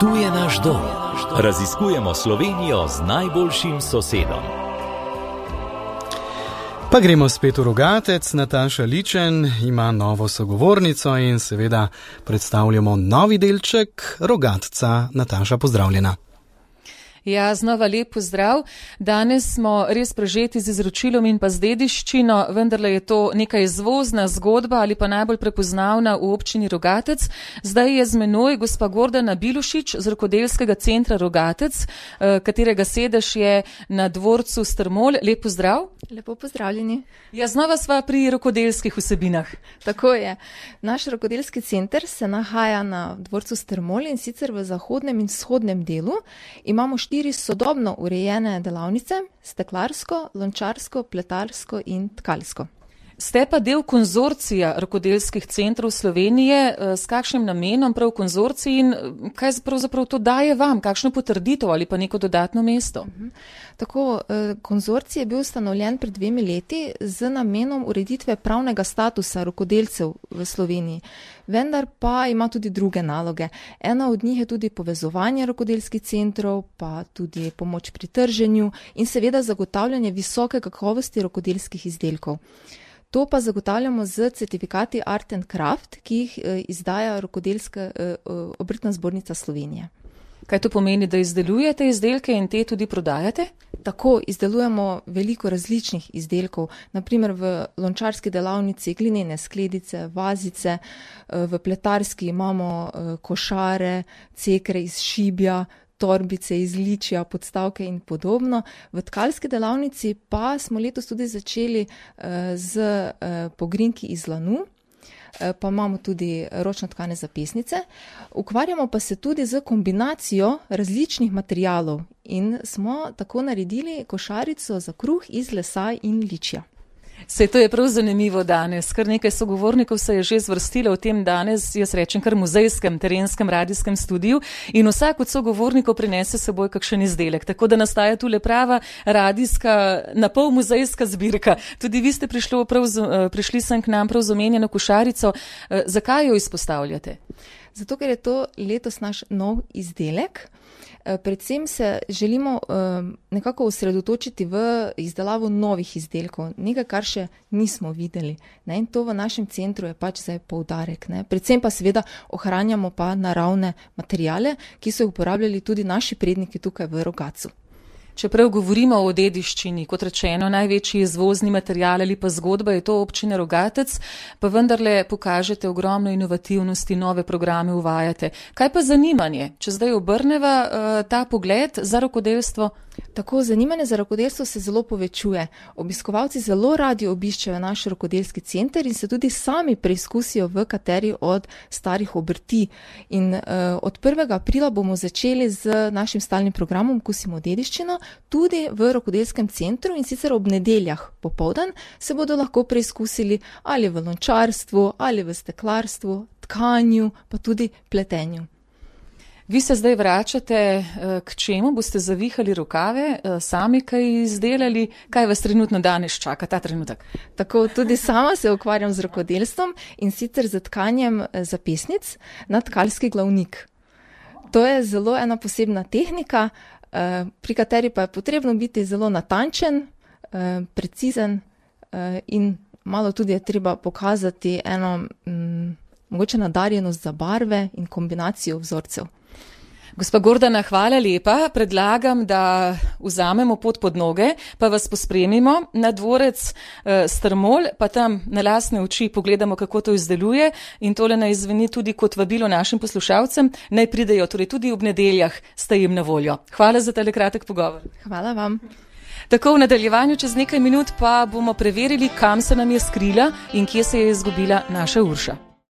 Tu je naš dom. Raziskujemo Slovenijo z najboljšim sosedom. Pa gremo spet v Rogatec. Nataša Ličen ima novo sogovornico in seveda predstavljamo novi delček Rogatca. Nataša, pozdravljena. Ja, znova lep pozdrav. Danes smo res prežeti z izročilom in pa z dediščino, vendarle je to neka izvozna zgodba ali pa najbolj prepoznavna v občini Rogatec. Zdaj je z menoj gospa Gordana Bilušič z Rokodelskega centra Rogatec, katerega sedež je na dvorcu Strmol. Lep pozdrav. Lepo pozdravljeni. Ja, znova sva pri rokodelskih vsebinah. Tako je. Naš rokodelski center se nahaja na dvorcu Strmol in sicer v zahodnem in vzhodnem delu. Imamo 4 sodobno urejene delavnice, steklarsko, lončarsko, pletarsko in tkalsko. Ste pa del konzorcija rokodelskih centrov Slovenije. S kakšnim namenom prav konzorcij in kaj pravzaprav to daje vam? Kakšno potrditev ali pa neko dodatno mesto? Tako, konzorcij je bil ustanovljen pred 2 leti z namenom ureditve pravnega statusa rokodelcev v Sloveniji. Vendar pa ima tudi druge naloge. Ena od njih je tudi povezovanje rokodelskih centrov, pa tudi pomoč pri trženju in seveda zagotavljanje visoke kakovosti rokodelskih izdelkov. To pa zagotavljamo z certifikati Art and Craft, ki jih izdaja Rokodelska obrtna zbornica Slovenije. Kaj to pomeni, da izdelujete izdelke in te tudi prodajate? Tako, izdelujemo veliko različnih izdelkov, naprimer v lončarski delavnici glinene skledice, vazice, v pletarski imamo košare, cekre iz šibja, torbice iz ličja, podstavke in podobno. V tkalski delavnici pa smo letos tudi začeli z pogrinjki iz lanu, pa imamo tudi ročno tkane zapestnice. Ukvarjamo pa se tudi z kombinacijo različnih materialov in smo tako naredili košarico za kruh iz lesa in ličja. Sej to je prav zanimivo danes. Kar nekaj sogovornikov se je že zvrstilo v tem danes, jaz rečem, kar muzejskem, terenskem, radijskem studiu in vsak od sogovornikov prinese s seboj kakšen izdelek. Tako da nastaja tule prava radijska, napol muzejska zbirka. Tudi vi ste prišli sem k nam prav z omenjeno košarico. Zakaj jo izpostavljate? Zato, ker je to letos naš nov izdelek. Predvsem se želimo nekako osredotočiti v izdelavo novih izdelkov, nekaj, kar še nismo videli. In to v našem centru je pač zdaj poudarek. Predvsem pa seveda ohranjamo pa naravne materiale, ki so jih uporabljali tudi naši predniki tukaj v Rogatcu. Čeprav govorimo o dediščini, kot rečeno, največji izvozni material ali pa zgodba je to občine Rogatec, pa vendarle pokažete ogromno inovativnosti, nove programe uvajate. Kaj pa zanimanje? Če zdaj obrneva ta pogled za rokodelstvo? Tako, zanimanje za rokodelstvo se zelo povečuje. Obiskovalci zelo radi obiščejo naš rokodelski center in se tudi sami preizkusijo v kateri od starih obrti. In od 1. aprila bomo začeli z našim stalnim programom Okusimo dediščino tudi v rokodelskem centru in sicer ob nedeljah popoldan se bodo lahko preizkusili ali v lončarstvu, ali v steklarstvu, tkanju, pa tudi pletenju. Vi se zdaj vračate k čemu? Boste zavihali rokave, sami kaj izdelali? Kaj vas trenutno danes čaka, ta trenutek? Tako, tudi sama se ukvarjam z rokodelstvom in sicer z tkanjem zapestnic na tkalski glavnik. To je zelo ena posebna tehnika, pri kateri pa je potrebno biti zelo natančen, precizen in malo tudi je treba pokazati eno mogoče nadarjenost za barve in kombinacijo vzorcev. Gospa Gordana, hvala lepa. Predlagam, da vzamemo pot pod noge, pa vas pospremimo na dvorec Strmol, pa tam na lastne oči pogledamo, kako to izdeluje in tole naj zveni tudi kot vabilo našim poslušalcem, naj pridejo, torej tudi ob nedeljah ste jim na voljo. Hvala za tale kratek pogovor. Hvala vam. Tako, v nadaljevanju čez nekaj minut pa bomo preverili, kam se nam je skrila in kje se je izgubila naša Urša.